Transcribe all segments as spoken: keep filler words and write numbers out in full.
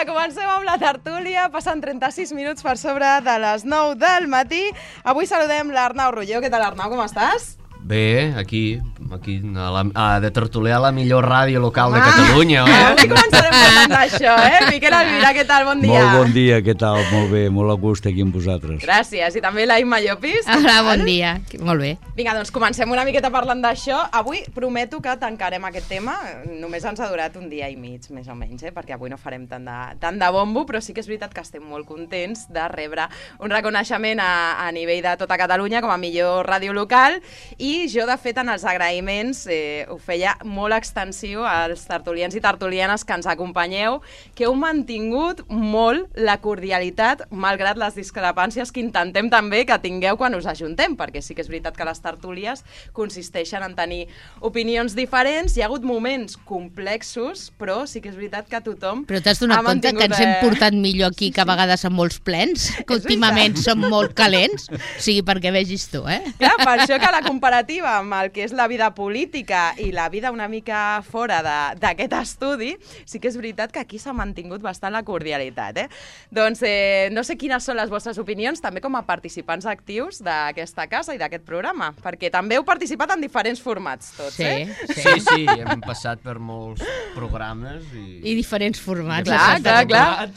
Vinga, comencem amb la tertúlia. Passen trenta-sis minuts per sobre de les nou del matí. Avui saludem l'Arnau Rulló. Què tal, Arnau? Com estàs? Bé, aquí, aquí a la, a, de tertuliar la millor ràdio local de Catalunya. Eh? Avui començarem parlant d'això, eh? Miquel Almirà, què tal? Bon dia. Molt bon dia, què tal? Molt bé, molt a gust aquí amb vosaltres. Gràcies. I també la Imma Llopis. Hola, bon dia. Molt bé. Vinga, doncs comencem una miqueta parlant d'això. Avui prometo que tancarem aquest tema. Només ens ha durat un dia i mig, més o menys, eh? Perquè avui no farem tant de, tant de bombo, però sí que és veritat que estem molt contents de rebre un reconeixement a, a nivell de tota Catalunya com a millor ràdio local. I I jo, de fet, en els agraïments eh, ho feia molt extensiu als tertulians i tertulianes que ens acompanyeu, que heu mantingut molt la cordialitat, malgrat les discrepàncies que intentem també que tingueu quan us ajuntem, perquè sí que és veritat que les tertúlies consisteixen en tenir opinions diferents. Hi ha hagut moments complexos, però sí que és veritat que tothom... Però t'has donat compte que ens hem portat millor aquí que a vegades amb molts plens? Que últimament som molt calents? O sigui, perquè vegis tu, eh? Clar, per això que la comparativa amb el que és la vida política i la vida una mica fora d'aquest estudi, sí que és veritat que aquí s'ha mantingut bastant la cordialitat, eh? Doncs eh, no sé quines són les vostres opinions, també com a participants actius d'aquesta casa i d'aquest programa, perquè també heu participat en diferents formats tots, sí, eh? Sí, sí, sí, hem passat per molts programes i... I diferents formats. Clar, clar, clar.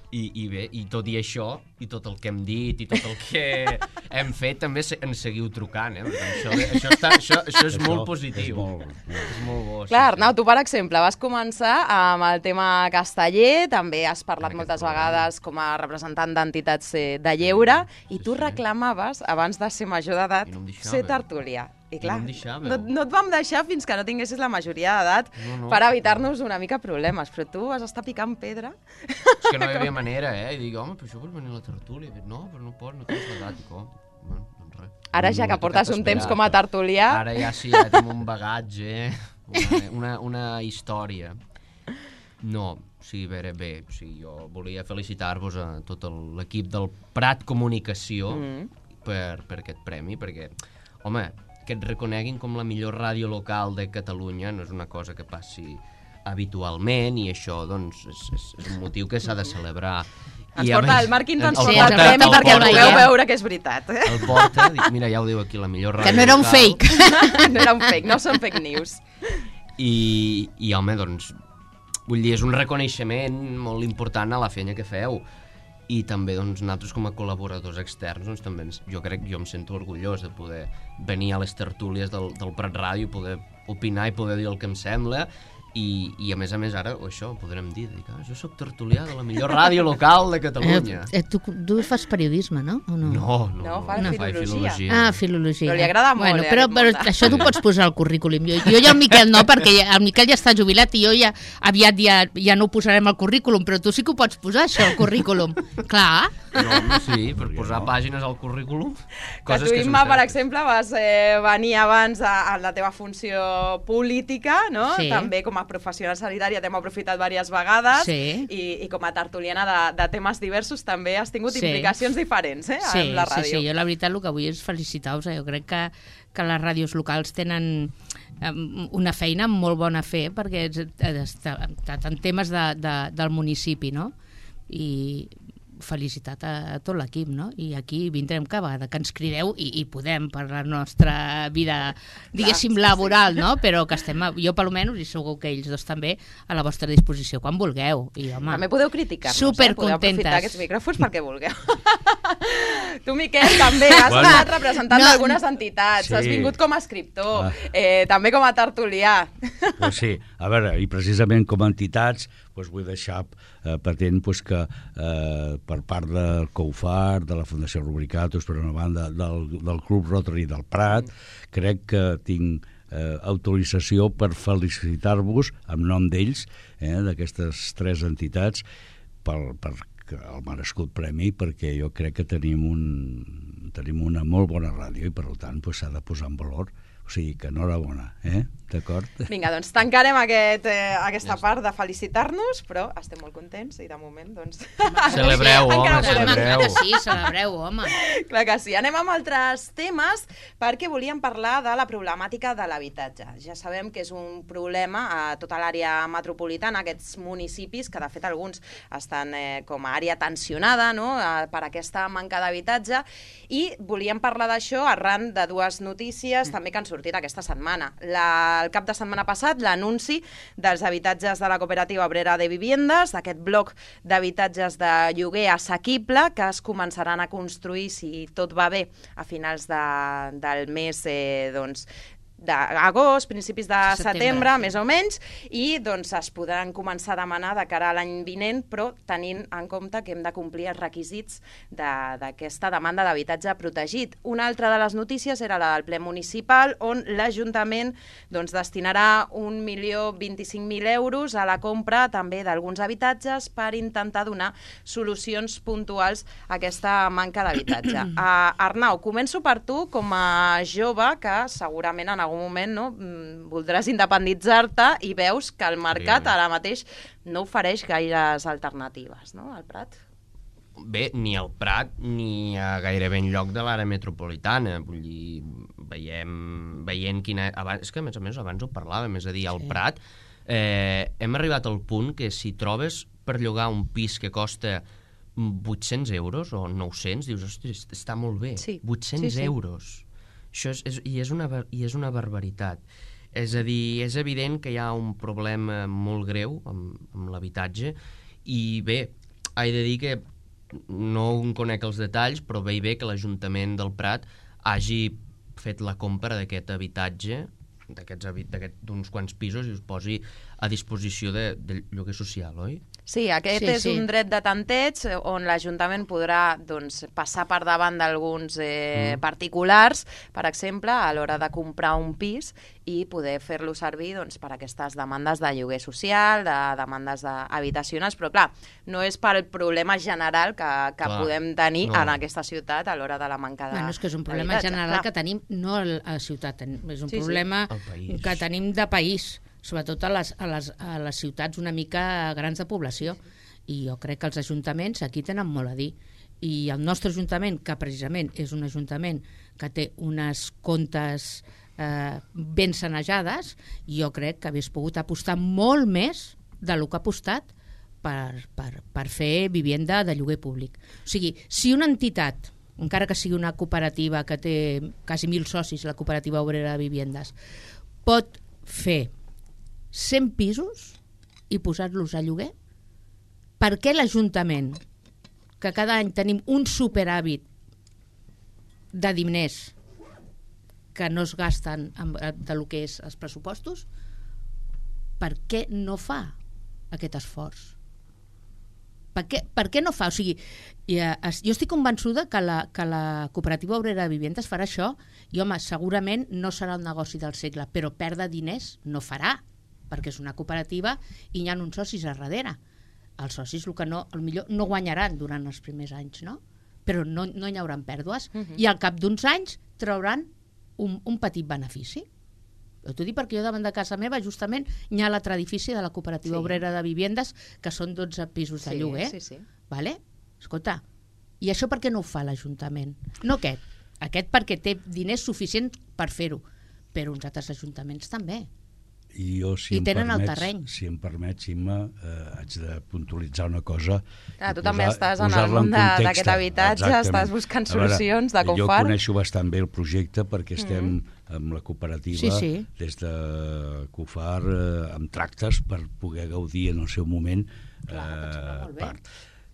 I, i bé, i tot i això, i tot el que hem dit, i tot el que hem fet, també ens seguiu trucant, eh? Això, això, està, això, això és molt positiu. És molt, és molt bo. Clar, Arnau, tu, per exemple, vas començar amb el tema casteller, també has parlat moltes vegades com a representant d'entitats de lleure, i tu reclamaves, abans de ser major d'edat, ser tertulià. I clar, no, no, no et vam deixar fins que no tinguessis la majoria d'edat no, no. per evitar-nos una mica problemes, però tu vas estar picant pedra. És que no hi havia manera, eh? I dic, home, però això vols venir a la tertúlia? I dic, no, però no pots, no tens l'edat. I com? Bueno, doncs res. Ara ja que portes un temps com a tertulià... Ara ja sí, ja tenim un bagatge, una, una, una història. No, sí, bé, bé, sí, jo volia felicitar-vos a tot l'equip del Prat Comunicació mm. per, per aquest premi, perquè, home, que et reconeguin com la millor ràdio local de Catalunya no és una cosa que passi habitualment i això doncs és, és, és un motiu que s'ha de celebrar. Ens I porta, més, el Marc Quinto ens el porta el premi el perquè el pugueu veure que és veritat. Eh? El porta, dic, mira, ja ho diu aquí, la millor ràdio que no era un local. fake. No era un fake, no són fake news. I, i home, doncs, vull dir, és un reconeixement molt important a la feina que feu. I també doncs, nosaltres com a col·laboradors externs doncs, també ens, jo crec que jo em sento orgullós de poder venir a les tertúlies del, del Prat Ràdio, poder opinar i poder dir el que em sembla i, i a més a més ara o això podrem dir, dic, ah, jo soc tertulià de la millor ràdio local de Catalunya. Eh, tu, tu fas periodisme, no? O no? No, no, no, fa no. filologia. filologia. Ah, filologia. Però li agrada molt, bueno, eh, però, però això t'ho pots posar al currículum. Jo, jo ja el Miquel no, perquè ja, el Miquel ja està jubilat i jo ja aviat ja, ja no ho posarem al currículum, però tu sí que ho pots posar, això, al currículum. Clar. No, home, sí, per posar pàgines al currículum. Que tu, Imma, per exemple, vas eh, venir abans a, a la teva funció política, no? Sí. També com a professional sanitària t'hem aprofitat diverses vegades sí. i, i com a tertuliana de, de temes diversos també has tingut sí. implicacions diferents eh, sí, en la ràdio. Sí, sí, jo la veritat el que vull és felicitar-vos. Jo crec que, que les ràdios locals tenen um, una feina molt bona a fer perquè en temes de, de, del municipi, no? I felicitat a, a tot l'equip, no? I aquí vindrem cada vegada que ens crideu i, i podem per la nostra vida, diguéssim, clar, laboral, sí, sí. no? Però que estem, jo per almenys, i segur que ells dos també, a la vostra disposició, quan vulgueu. I, home, també podeu criticar-nos, eh? Podeu aprofitar aquests micròfons perquè vulgueu. Tu, Miquel, també has bueno, estat representant no, d'algunes entitats, sí. has vingut com a escriptor, ah. eh, també com a tertulià. Pues sí, a veure, i precisament com a entitats, pues vull deixar eh, patent pues, que eh, per part del COUFAR, de la Fundació Rubricatus, per una banda, del, del Club Rotary del Prat, mm. crec que tinc eh, autorització per felicitar-vos en nom d'ells, eh, d'aquestes tres entitats, per, per el merescut premi, perquè jo crec que tenim, un, tenim una molt bona ràdio i per tant s'ha pues, de posar en valor. O sigui que enhorabona, eh? D'acord? Vinga, doncs tancarem aquest, eh, aquesta part de felicitar-nos, però estem molt contents i de moment, doncs... Celebreu, home, encara podem- celebreu. Que sí, celebreu, home. Clar que sí. Anem amb altres temes perquè volíem parlar de la problemàtica de l'habitatge. Ja sabem que és un problema a tota l'àrea metropolitana, aquests municipis, que de fet alguns estan eh, com a àrea tensionada, no?, eh, per aquesta manca d'habitatge, i volíem parlar d'això arran de dues notícies també que han sortit aquesta setmana. La, el cap de setmana passat, l'anunci dels habitatges de la Cooperativa Obrera de Viviendas, d'aquest bloc d'habitatges de lloguer assequible que es començaran a construir, si tot va bé, a finals de, del mes eh, doncs, d'agost, principis de setembre, Setembre, sí. més o menys, i doncs es podran començar a demanar de cara a l'any vinent, però tenint en compte que hem de complir els requisits d'aquesta de, demanda d'habitatge protegit. Una altra de les notícies era la del ple municipal, on l'Ajuntament doncs, destinarà un milió vint-i-cinc mil euros a la compra també d'alguns habitatges per intentar donar solucions puntuals a aquesta manca d'habitatge. Uh, Arnau, començo per tu com a jove que segurament en algun moment no, voldràs independitzar-te i veus que el mercat Bé. ara mateix no ofereix gaires alternatives, no?, al Prat. Bé, ni al Prat ni a gairebé enlloc de l'àrea metropolitana. Vull dir, veiem, veient quina... Abans, és que, a més a més, abans ho parlàvem, és a dir, al Sí. Prat eh, hem arribat al punt que si trobes per llogar un pis que costa vuit-cents euros o nou-cents, dius, ostres, està molt bé, Sí. vuit-cents Sí, sí. euros. Això és, és, i, és una, bar- I és una barbaritat. És a dir, és evident que hi ha un problema molt greu amb, amb l'habitatge i bé, he de dir que no en conec els detalls, però bé i bé que l'Ajuntament del Prat hagi fet la compra d'aquest habitatge, d'aquests d'uns quants pisos, i us posi a disposició de, de lloguer social, oi? Sí, aquest Sí, és sí. un dret de tanteig on l'Ajuntament podrà doncs, passar per davant d'alguns eh, Mm. particulars, per exemple, a l'hora de comprar un pis i poder fer-lo servir doncs, per aquestes demandes de lloguer social, de demandes de habitacionals, però clar, no és pel problema general que, que Clar, podem tenir no. en aquesta ciutat a l'hora de la manca de Bueno, és que és un problema d'habitatge, general clar. que tenim, no a la ciutat, és un Sí, sí. problema Al país. que tenim de país, sobretot a les, a, les, a les ciutats una mica grans de població. I jo crec que els ajuntaments aquí tenen molt a dir. I el nostre ajuntament, que precisament és un ajuntament que té unes comptes eh, ben sanejades, jo crec que hagués pogut apostar molt més del que ha apostat per, per, per fer vivienda de lloguer públic. O sigui, si una entitat, encara que sigui una cooperativa que té quasi mil socis, la Cooperativa Obrera de Viviendas, pot fer cent pisos i posar-los a lloguer, per què l'Ajuntament, que cada any tenim un superàvit de diners que no es gasten amb, de lo que és els pressupostos, per què no fa aquest esforç? Per què, per què no fa? O sigui, jo estic convençuda que la, que la Cooperativa Obrera de Viviendas farà això i, home, segurament no serà el negoci del segle, però perdre diners no farà, perquè és una cooperativa i hi ha uns socis a darrere. Els socis el que no, el millor no guanyaran durant els primers anys, no? Però no, no hi haurà pèrdues uh -huh. i al cap d'uns anys trauran un, un petit benefici. Jo t'ho dic perquè jo davant de casa meva justament hi ha l'altre edifici de la Cooperativa Sí. Obrera de Viviendas que són dotze pisos de Sí, lloguer. sí, sí. Vale? Escolta, i això per què no ho fa l'Ajuntament? No aquest, aquest perquè té diners suficients per fer-ho, però uns altres ajuntaments també. I jo, si I em tenen el permets, terreny. si em permets, Imma, eh, haig de puntualitzar una cosa. Clar, tu i també estàs en el posar-la món de- context. d'aquest habitatge, Exactament. estàs buscant A veure, solucions de com Jo far. coneixo bastant bé el projecte perquè estem amb la cooperativa Sí, sí. des de CUFAR eh, amb tractes per poder gaudir en el seu moment Clar, que et sembla molt bé. part.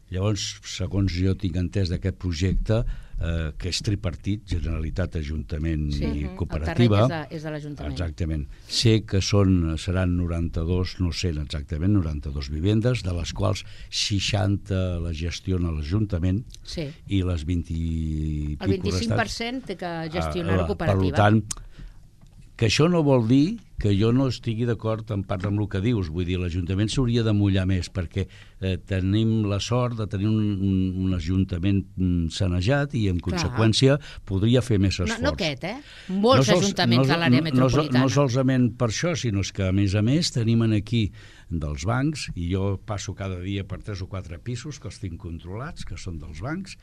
Llavors, segons jo tinc entès d'aquest projecte, eh, que és tripartit, Generalitat, Ajuntament Sí. i El Cooperativa. terreny és de, és de l'Ajuntament. Exactament. Sé que són, seran noranta-dos, no sé exactament, noranta-dos vivendes, de les quals seixanta les gestiona l'Ajuntament Sí. i les vint i El vint-i-cinc per cent té que gestionar la Ah, cooperativa. Per tant, que això no vol dir que jo no estigui d'acord en part amb el que dius. Vull dir, l'Ajuntament s'hauria de mullar més, perquè eh, tenim la sort de tenir un, un, un Ajuntament sanejat i, en Clar. conseqüència, podria fer més esforç. No, no aquest, eh? Molts sols- ajuntaments no, de l'àrea no, metropolitana. No, no solament per això, sinó que, a més a més, tenim aquí dels bancs, i jo passo cada dia per tres o quatre pisos que els tinc controlats, que són dels bancs,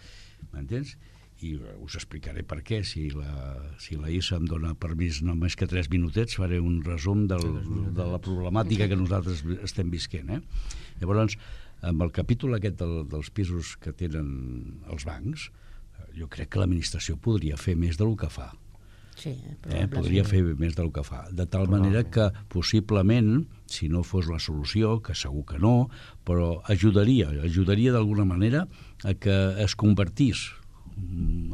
m'entens? I us explicaré per què. Si la, si la I S A em dona permís només que tres minutets, faré un resum del, de la problemàtica que nosaltres estem visquent. Eh? Llavors, amb el capítol aquest del, dels pisos que tenen els bancs, jo crec que l'administració podria fer més del que fa. Sí, Eh, podria fer més del que fa, de tal manera que possiblement, si no fos la solució, que segur que no, però ajudaria, ajudaria d'alguna manera a que es convertís,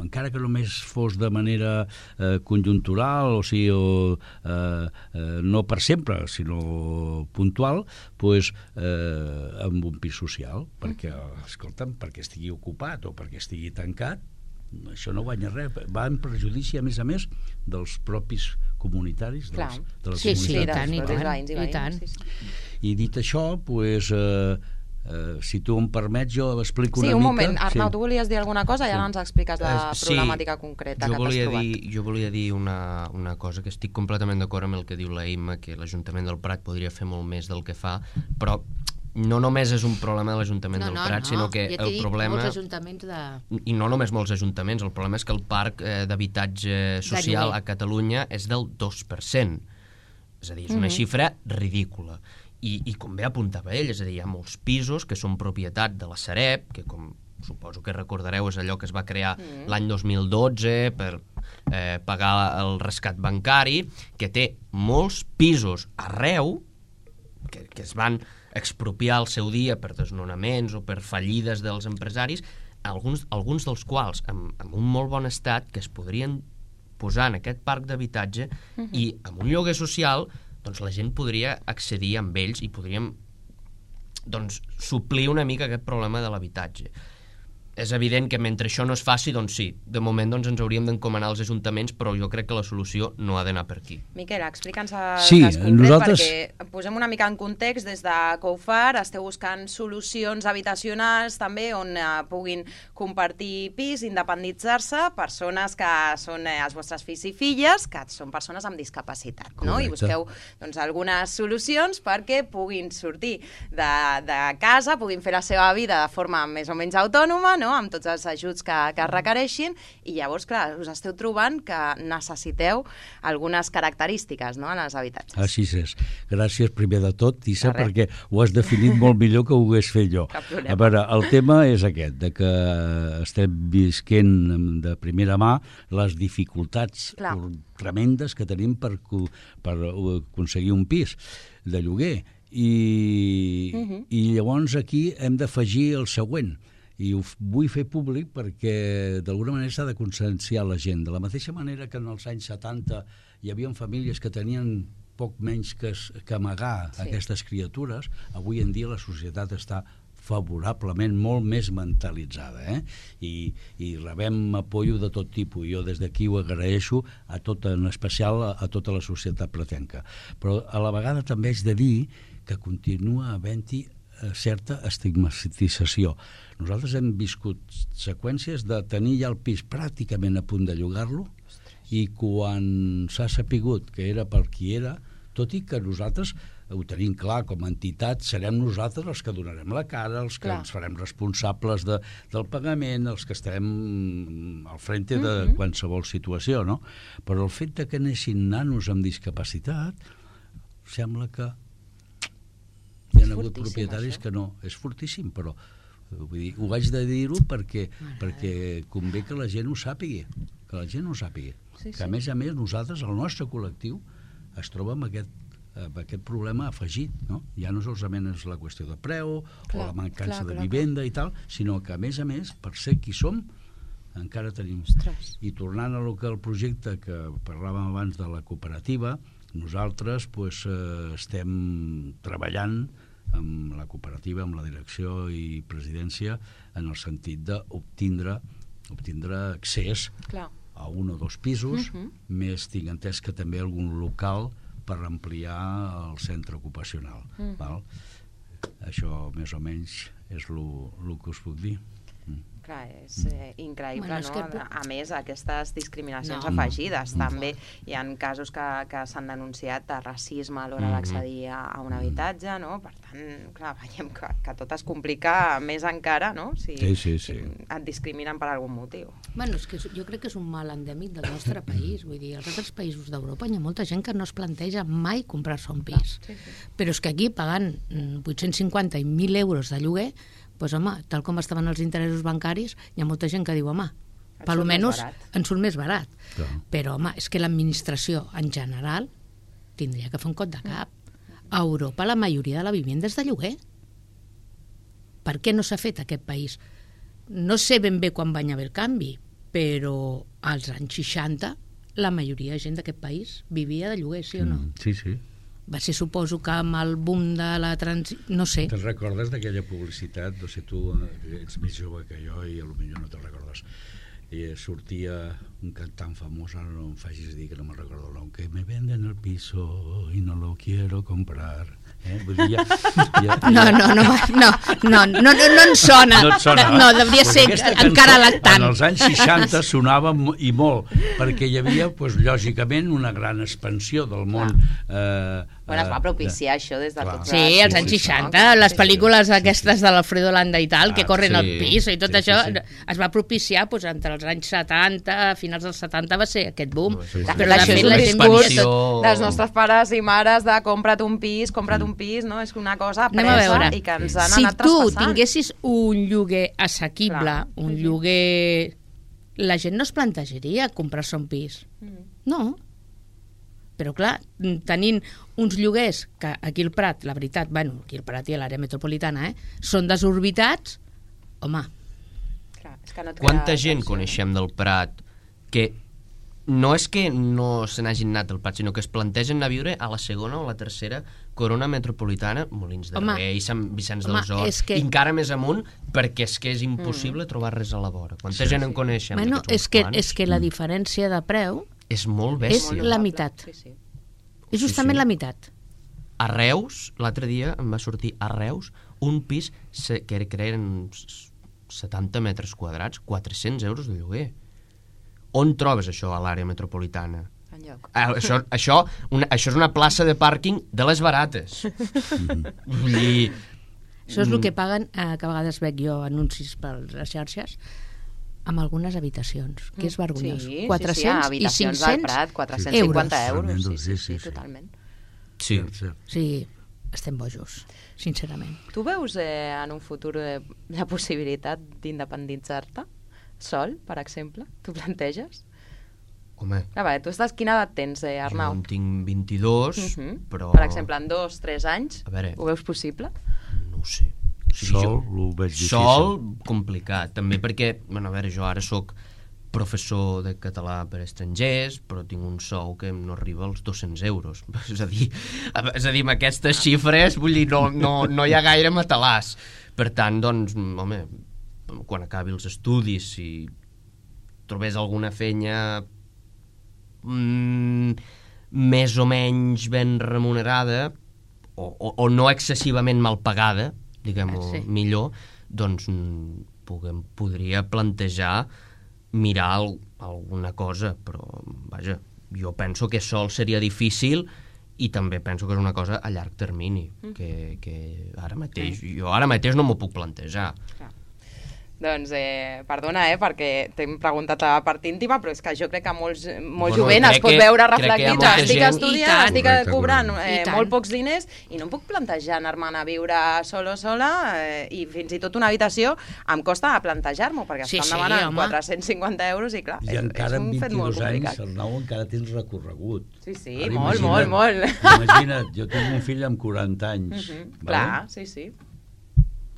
encara que només fos de manera eh, conjuntural, o sigui, o, eh, eh, no per sempre, sinó puntual, pues, eh, amb un pis social, perquè, escolta'm, perquè estigui ocupat o perquè estigui tancat, això no guanya res, va en perjudici, a més a més, dels propis comunitaris, dels, de les sí, sí, i comunitats. tant, i dels tant, veïns i i veïnes, tant. sí, sí. I dit això, pues, eh, eh, si tu em permets, jo explico Sí, una un mica... moment, Arnau, sí. tu volies dir alguna cosa i ara ens expliques la Eh, sí, problemàtica concreta jo que t'has volia trobat. dir, jo volia dir una, una cosa, que estic completament d'acord amb el que diu la Imma, que l'Ajuntament del Prat podria fer molt més del que fa, però no només és un problema de l'Ajuntament No, del no, Prat, no, sinó que ja t'he el dit, problema... molts ajuntaments de... I no només molts ajuntaments, el problema és que el parc eh, d'habitatge social lloguer. a Catalunya és del dos per cent. És a dir, és una Mhm. xifra ridícula. I, I com bé apuntava ell, és a dir, hi ha molts pisos que són propietat de la Sareb, que com suposo que recordareu és allò que es va crear Mhm. l'any dos mil dotze per eh, pagar el rescat bancari, que té molts pisos arreu que, que es van expropiar al seu dia per desnonaments o per fallides dels empresaris, alguns, alguns dels quals amb, amb un molt bon estat, que es podrien posar en aquest parc d'habitatge Mhm. i amb un lloguer social, doncs la gent podria accedir amb ells i podríem doncs, suplir una mica aquest problema de l'habitatge. És evident que mentre això no es faci, doncs sí, de moment doncs, ens hauríem d'encomanar als ajuntaments, però jo crec que la solució no ha d'anar per aquí. Miquel, explica'ns el Sí, cas concret, nosaltres- perquè posem una mica en context. Des de COUFAR esteu buscant solucions habitacionals també on eh, puguin compartir pis, independitzar-se, persones que són eh, els vostres fills i filles, que són persones amb discapacitat, no? I Correcte. busqueu doncs, algunes solucions perquè puguin sortir de, de casa, puguin fer la seva vida de forma més o menys autònoma, no? Amb tots els ajuts que, que es requereixin, i llavors, clar, us esteu trobant que necessiteu algunes característiques, no?, en els habitatges. Així és. Gràcies primer de tot, Tissa, De res. perquè ho has definit molt millor que ho hagués fet jo. Cap problema. A veure, el tema és aquest, de que estem visquent de primera mà les dificultats Clar. tremendes que tenim per, co- per aconseguir un pis de lloguer. I, Mhm. i llavors aquí hem d'afegir el següent, i ho f- vull fer públic perquè d'alguna manera s'ha de conscienciar la gent. De la mateixa manera que en els anys setanta hi havia famílies que tenien poc menys que, es- que amagar Sí. aquestes criatures, avui en dia la societat està favorablement molt més mentalitzada, eh? I, i rebem apoyo de tot tipus. Jo des d'aquí ho agraeixo, a tot, en especial a, a tota la societat pratenca. Però a la vegada també haig de dir que continua havent-hi eh, certa estigmatització. Nosaltres hem viscut seqüències de tenir ja el pis pràcticament a punt de llogar-lo, i quan s'ha sapigut que era per qui era, tot i que nosaltres ho tenim clar, com a entitat serem nosaltres els que donarem la cara, els que Clar. ens farem responsables de, del pagament, els que estarem al frente de Mhm. qualsevol situació, no? Però el fet de que anessin nanos amb discapacitat sembla que hi ha hagut fortíssim, propietaris això. que no, és fortíssim, però eh, vull dir, ho haig de dir-ho perquè, perquè convé que la gent ho sàpigui, que la gent ho sàpigui. Sí, que sí. a més a més nosaltres, el nostre col·lectiu, es troba amb aquest, amb aquest problema afegit, no? Ja no solament és la qüestió de preu Clar, o la mancança clar, de clar, vivenda i tal, sinó que a més a més, per ser qui som, encara tenim. Ostres. I tornant a lo que el projecte que parlàvem abans de la cooperativa, nosaltres pues, eh, estem treballant amb la cooperativa, amb la direcció i presidència, en el sentit d'obtindre obtindre accés Clar. a un o dos pisos, Mhm. més tinc entès que també algun local per ampliar el centre ocupacional. Mhm. Val? Això més o menys és el que us puc dir. Clar, és eh, increïble, Bueno, és no? que- A més, aquestes discriminacions No. afegides. Mm. També hi ha casos que, que s'han denunciat de racisme a l'hora Mhm. d'accedir a, a un habitatge, no? Per tant, clar, veiem que, que tot es complica més encara, no? Si, Sí, sí, sí. si et discriminen per algun motiu. Bueno, és que és- jo crec que és un mal endèmic del nostre país. Vull dir, als altres països d'Europa hi ha molta gent que no es planteja mai comprar-se un pis. Sí, sí. Però és que aquí, pagant mm, vuit-cents cinquanta i mil euros de lloguer, doncs, home, tal com estaven els interessos bancaris, hi ha molta gent que diu, home, Et per surt més almenys barat. ens surt més barat. Clar. Però, home, és que l'administració, en general, tindria que fer un cop de cap. A Europa la majoria de la vivienda és de lloguer. Per què no s'ha fet aquest país? No sé ben bé quan va haver el canvi, però als anys seixanta la majoria de gent d'aquest país vivia de lloguer, sí o no? Mm, sí, sí. Va ser, suposo, que amb el boom de la transició... No sé. Te'n recordes d'aquella publicitat? No sé, tu eh, ets més jove que jo i potser no te'n recordes. I sortia un cantant famós, ara no em facis dir que no me'n recordo el nom, que me venden el piso y no lo quiero comprar. Eh? Vull dir, ja, ja, ja... No, no, no, no, no, no, no, no en sona. No et sona, No, devia Pues ser aquesta encara cançó, lactant. En els anys seixanta sonava mo- i molt, perquè hi havia, pues, lògicament, una gran expansió del món. Eh, Bueno, es va eh, propiciar això des de Clar. tots Sí, els- als anys sí, sí. seixanta, les pel·lícules aquestes de l'Alfredo Landa i tal, que Ah, corren sí. al pis i tot Sí, sí, això, sí. es va propiciar doncs, entre els anys setanta, a finals dels setanta va ser aquest boom. Sí, sí. De Però fet, la això gent és l'ha el tingut discurs expansió. dels nostres pares i mares de compra't un pis, compra't un pis, no? És una cosa Anem a presa veure. i que ens han Si anat tu traspassant. tinguessis un lloguer assequible, Clar, un sí, sí. lloguer... La gent no es plantejaria comprar-se un pis. Mm. No. Però clar, tenint uns lloguers que aquí al Prat, la veritat, bueno, aquí al Prat i a l'àrea metropolitana, eh, són desorbitats, home, Clar, és que no et Quanta crea gent atenció. coneixem del Prat que no és que no se n'hagin anat del Prat, sinó que es plantegen anar a viure a la segona o la tercera corona metropolitana, Molins de Home, Rei, Sant Vicenç home, dels Horts, és que- i encara més amunt, perquè és que és impossible mm. trobar res a la vora. Quanta Sí, gent sí. en coneixem? bueno, d'aquests és que, uns és que la diferència de preu És molt és bèstia. la meitat. Sí, sí. és justament sí. la meitat. A Reus, l'altre dia em va sortir a Reus un pis se- que era- que eren setanta metres quadrats, quatre-cents euros de lloguer. On trobes això a l'àrea metropolitana? Enlloc. Ah, això, això, una, això és una plaça de pàrquing de les barates. Vull dir... Això és el que paguen, eh, que a vegades veig jo anuncis per les xarxes, amb algunes habitacions, que és vergonyós. Sí, quatre-cents sí, sí, i habitacions del cinc-cents Prat, quatre-cents cinquanta euros. euros. Sí, Tremendo, sí, sí, sí, sí, sí. totalment. Sí. Cert. Sí, estem bojos, sincerament. Tu veus eh, en un futur eh, la possibilitat d'independitzar-te sol, per exemple? Tu planteges? Home, Ah, vale, tu estàs, quina edat tens, eh, jo Arnau? en tinc vint-i-dos, Uh -huh. però... Per exemple, en dos, tres anys, A veure. ho veus possible? No ho sé. O sigui, Sol, jo- ho veig difícil. Sol, complicat. També perquè, bueno, a veure, jo ara sóc professor de català per estrangers, però tinc un sou que no arriba als dos-cents euros. És a dir, és a dir, amb aquestes xifres, vull dir, no, no, no hi ha gaire matalàs. Per tant, doncs, home, quan acabi els estudis, si trobés alguna feina mm, més o menys ben remunerada, o, o, o no excessivament mal pagada, diguem-ho Sí. millor, doncs mm, puguem, podria plantejar mirar al, alguna cosa, però vaja, jo penso que sol seria difícil i també penso que és una cosa a llarg termini, que, que ara mateix, jo ara mateix no m'ho puc plantejar. Clar. Doncs, eh, perdona, eh, perquè t'hem preguntat la part íntima, però és que jo crec que molts, molt Bueno, jovent es crec pot que- veure crec que hi ha reflectit. molta Estic gent- estudiant, I tant. estic Correcte, cobrant correcte. eh, I tant. molt pocs diners i no em puc plantejar anar-me'n a viure solo o sola eh, i fins i tot una habitació em costa plantejar-m'ho, perquè Sí, estan sí, demanant home. quatre-cents cinquanta euros i clar, I és, encara és un amb fet molt vint-i-dos anys, complicat. Arnau, encara tens recorregut. Sí, sí, Ara molt, imagina't- molt, molt. Imagina't, jo tinc un fill amb quaranta anys, Mhm, vale? Clar, sí, sí.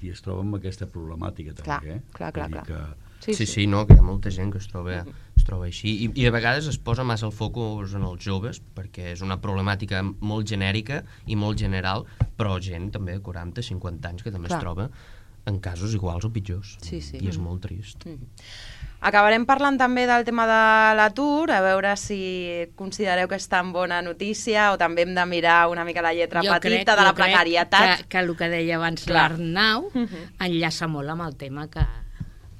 I es troba amb aquesta problemàtica també, Clar, eh? clar, clar, Vull dir clar. Que... Sí, Sí, sí. sí, no, que hi ha molta gent que es troba, es troba així. I, I de vegades es posa massa el focus en els joves, perquè és una problemàtica molt genèrica i molt general, però gent també de quaranta, cinquanta anys que també Clar. es troba en casos iguals o pitjors. Sí, sí. I és molt trist. Mhm. Acabarem parlant també del tema de l'atur, a veure si considereu que és tan bona notícia o també hem de mirar una mica la lletra jo petita crec, de la jo crec precarietat. Que, que el que deia abans l'Arnau uh -huh. enllaça molt amb el tema que,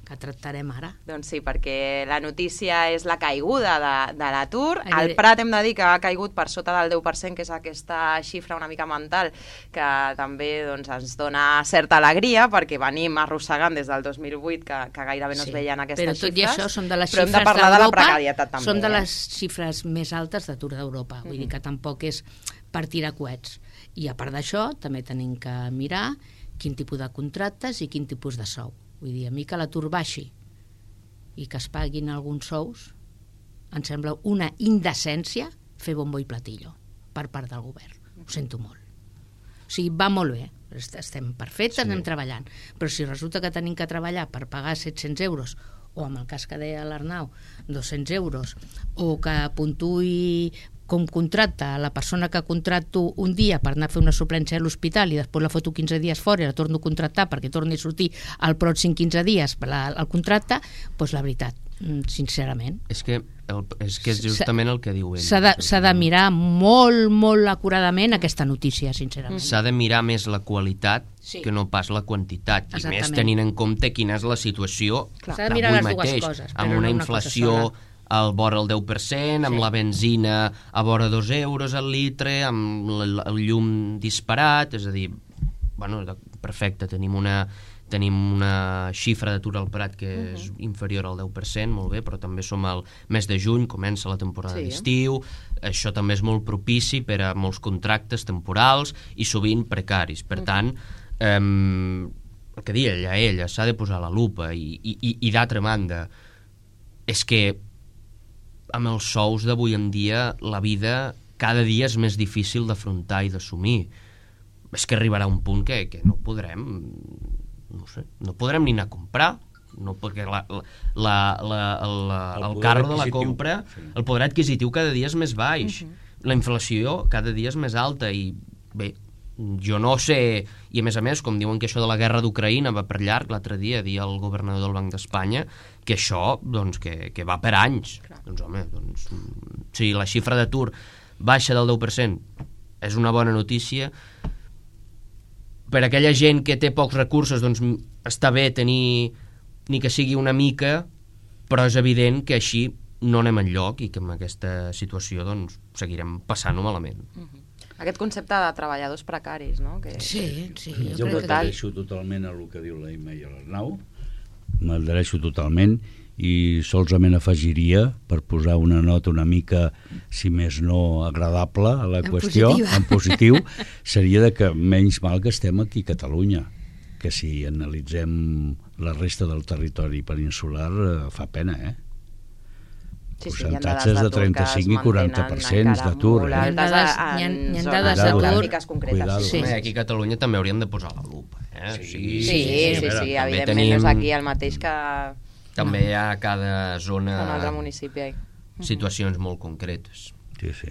que tractarem ara. Doncs sí, perquè la notícia és la caiguda de, de l'atur. Ai, El Prat hem de dir que ha caigut per sota del deu per cent, que és aquesta xifra una mica mental, que també doncs, ens dona certa alegria, perquè venim arrossegant des del dos mil vuit que, que gairebé no Sí, es veien aquestes però tot xifres. i això són de les però hem xifres de parlar de la d'Europa, precarietat també. són de eh? les xifres més altes d'atur d'Europa, vull Mm-hmm. dir que tampoc és per tirar coets. I a part d'això també tenim que mirar quin tipus de contractes i quin tipus de sou. Vull dir, a mi que l'atur baixi i que es paguin alguns sous, em sembla una indecència fer bombo i platillo per part del govern. Ho sento molt. O sigui, va molt bé, estem perfectes, sí. anem treballant, però si resulta que tenim que treballar per pagar set-cents euros, o amb el cas que deia l'Arnau, dos-cents euros, o que puntuï com contracta la persona que contracto un dia per anar a fer una suplència a l'hospital i després la foto quinze dies fora i la torno a contractar perquè torni a sortir al pròxim quinze dies la, el contracte, doncs la veritat, sincerament. És que, el, és que és justament el que diu ell. S'ha de, s'ha de mirar molt, molt acuradament aquesta notícia, sincerament. S'ha de mirar més la qualitat sí. que no pas la quantitat. I Exactament. més tenint en compte quina és la situació s'ha de mirar les dues mateix, coses, amb però una no una inflació al vora el deu per cent, amb Sí. la benzina a vora dos euros al litre, amb el, el llum disparat, és a dir, bueno, perfecte, tenim una, tenim una xifra d'atur al Prat que uh -huh. és inferior al deu per cent, molt bé, però també som al mes de juny, comença la temporada Sí. d'estiu, això també és molt propici per a molts contractes temporals i sovint precaris. Per uh -huh. tant, eh, el que deia ella, ella s'ha de posar la lupa i, i, i, i d'altra banda, és que amb els sous d'avui en dia la vida cada dia és més difícil d'afrontar i d'assumir. És que arribarà un punt que, que no podrem no sé, no podrem ni anar a comprar, no, perquè la, la, la, la, la, el, el carro de la compra, sí. el poder adquisitiu cada dia és més baix, uh -huh. la inflació cada dia és més alta i bé, jo no sé, i a més a més, com diuen que això de la guerra d'Ucraïna va per llarg, l'altre dia dia el governador del Banc d'Espanya que això, doncs, que, que va per anys. Clar. Doncs home, doncs, si la xifra d'atur baixa del deu per cent és una bona notícia. Per aquella gent que té pocs recursos, doncs està bé tenir, ni que sigui una mica, però és evident que així no anem enlloc i que amb aquesta situació doncs, seguirem passant-ho malament. Uh-huh. Aquest concepte de treballadors precaris, no? Que... Sí, sí. Jo, Jo jo crec m'adhereixo totalment a el que diu la Imma i l'Arnau, m'adhereixo totalment i solament afegiria, per posar una nota una mica, si més no agradable a la en qüestió, positiva. en positiu, seria de que menys mal que estem aquí a Catalunya, que si analitzem la resta del territori peninsular eh, fa pena, eh? Sí, sí, percentatges de trenta-cinc i quaranta per cent d'atur. Hi ha dades- hi ha- hi ha dades d'atur. Cuidado. Sí. Home, aquí a Catalunya també hauríem de posar la lupa. Eh? Sí, Sí, sí, sí, sí, sí, sí, també evidentment tenim- no és aquí el mateix que També hi ha a cada zona un altre municipi. situacions molt concretes. Sí, sí.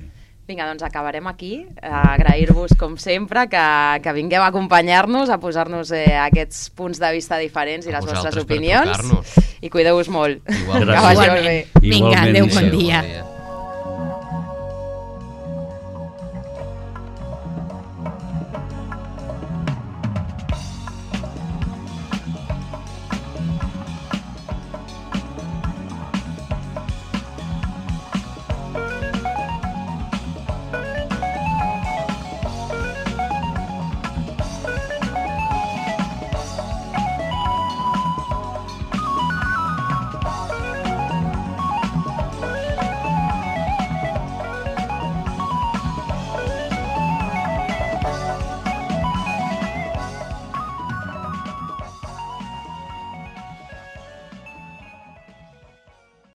Vinga, doncs acabarem aquí. Agrair-vos, com sempre, que, que vingueu a acompanyar-nos, a posar-nos eh, aquests punts de vista diferents i A les vostres vosaltres per opinions. trucar-nos. I cuideu-vos molt. Igualment. Que vagi molt Igualment. bé. Vinga, Igualment. adéu, bon Adéu, dia. bon dia.